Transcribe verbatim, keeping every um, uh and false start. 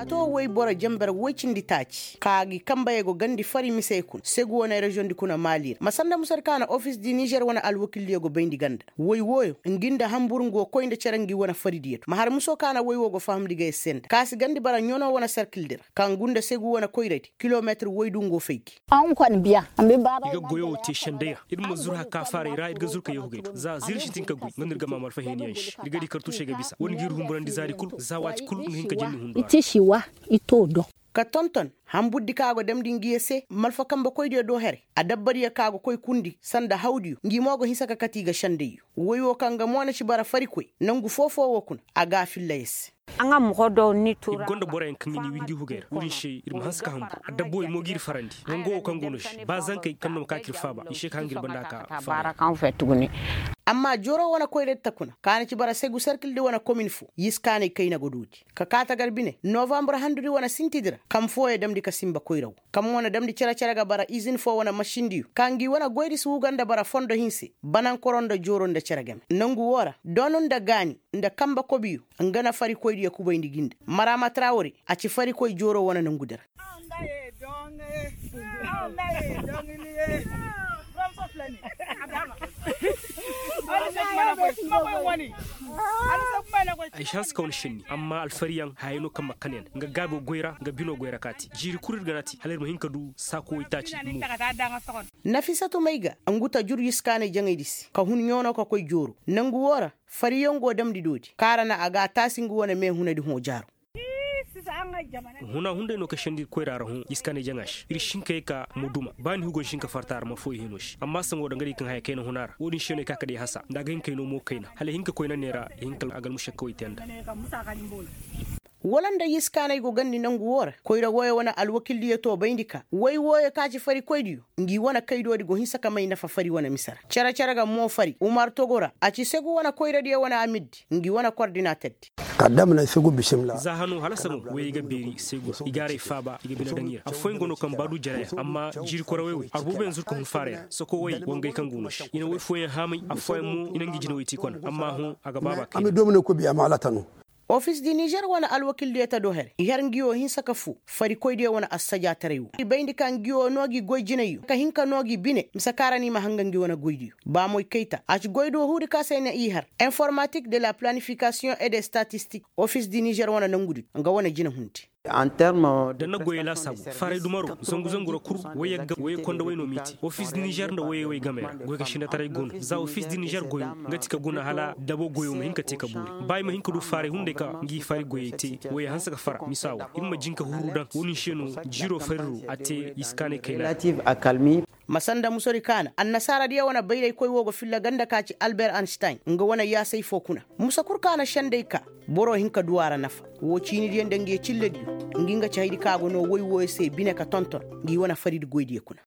A to woy boro jenber woy cindi taaci ka gi kanbey go gandi fari misey kuna segu wane reziyoŋ di kuna maali ra ma sanda musadi ka na ofis di nizer wane alwakildiyo go bayndi ganda woy wooyo ngi nda hanbur ngu go koy nda cere ngi wane faridiyo do ma har muso ka na woy woo go fahamndi ga yer se nda ka si gandi bara ɲono wane serkildi ra ka ngu nda segu wane koyradi kilometir woy du ngu go fay gi. I ga goyo woo te sendey ra ir ma zur haka faaray ra ir ga zur ka yahugey do za zir sintin ka goy nga no ir ga maa malfa heeniyaŋ se ir ga di kartuusey ga bisa war ngi ir humburandi zaari kul za waati kul nga hin ka jenni hundu a ra. I to do. Ka tonton hanburdi ka go damndi ngi ye se malfa kanbekoydiyo do haray adabbadiyo ka go koy kundi sanda hawdiyo ngi mo go hinsa ka kati i ga sendayyo woy woo kaŋ ga mo na ci bara farikoy nangu foo-foo woo kuna a ga a filla yer se. I gonda boroyaŋ kaŋ ga ni windi hugey ra wo-din se ir ma hanse ka hanbur adabba wey mo g'ir farandi nango woo kaŋ go no se ba zankey kaŋ no ma ka k'ir faaba i se ka hangir banda ka faaba. Amma jooro wane koyradi ta kuna ka na ci bara segu serkildi wane komin foo yiskaanay kayna go doodi ka kaa tagar bine novambur handudi wane sintidi ra kaŋ fooyo damndi ka sinba koyra woo kaŋ mo na damndi cere-cere ga bara izin foo wane masindiyo ka ngi wane goydi si huga nda bara fondo hinse banankoro nda jooro nda cere game nangu woo ra doonu nda gaani nda kanbe kobiyo nga na farikoydiyo kubayndi gi nda maraama trawore a ci farikoy jooro wane nangudi ra. Ay si hanse ka wane šenni amma alfariyaŋ hayey no kaŋ ma kan yaŋ nga gaabi goy ra nga bino goy ra kaati jiiri kul ir ga na ti hala ir ma hin ka du saako waytaaci. Nafisatu may ga ngu ta jur yiskaanay jaŋaydi se ka hun ɲoonoo ka koy jooro nangu woo ra fariyaŋ go damndi doodi kaŋ a ra na a ga a taasi ngu wane meehunadi hõ jaaro. Huna hunday no ka send'ir koyra ra hõ iskaanay jaŋa se ir si hin ka ye ka ma duma ba ni hugo ni si hin ka farta ra marfooyo hino se amma saŋo da nga di kaŋ haya kayna huna ra wo-din se no ay ka ka day hasa nda a ga hin ka ay no mo kayna hala ay hin ka koyna neera ay hin ka almušakkawey te nda. Wala nda yiskaanay go gandi nangu woo ra koyra wooyo wane alwakildiyo to bayndi ka woy wooyo ka ci farikoydiyo ngi wane kaydoodi go hinsa ka may nafa fari wane mise ra cere-cere ga mo fari umar togo ra a ci segu wane koyradiyo wane amirdi ngi wane kordinaterdi. Za hano hala saŋo woyey ga beeri segu i gaaray faaba i ga bine daŋ i ra affooyaŋ go no kaŋ ba du jere yaŋ amma jiiri korawey wey arbooboyaŋ zuru ka hun faaray ra soko woyey wangey kaŋ go no se i na woy fooyaŋ haamay affooyaŋ mo i na ngi jinawey ti kona amma hõ a ga baaba kay. Ofis di nizer wane alwakildiyo ta do here i har ngi woo hinsa ka foo farikoydiyo wane assajaataray woo i bayndi ka ngi woo noo gi goy jinayyo ka hin ka noo gi bine mise kaŋ ra no i ma hanga ngi wane goydiyo ba moy kayta a ci goydiyo huudi ka se ay na i har informatik de la planifikasiyoŋ et de statistik ofis di nizer wane nangudi nga wane jina hundi. Da na goyey laasaabu faaray dumaro zangu-zangu ra kul woyey ga woyey konda way no m'i te ofis di nizer nda woyey way gamey ra goy ka sindataray go no za ofis di nizer goyo nga ti ka guna hala dabo goyo ma hin ka te ka boori ba i ma hin ka du faaray hunday ka ngi fari goyey te woyey hanse ka fara misa wo ir ma jin ka huru daŋ wo-din se no jiiro fariro a te iskaanay kayna. Ma sanda musori kaana annasaaradiyo wane bayraykoy wo ga filla ganda ka ci alber anstein nga wane yaasay foo kuna musa kul kaana senday ka boro hin ka du a ra nafa woo ciinidiyo nda ngi ye cillediyo ngi nga ci haydi ka go no woy wooyo se bine ka tonton ngi wane faridi goydiyo kuna.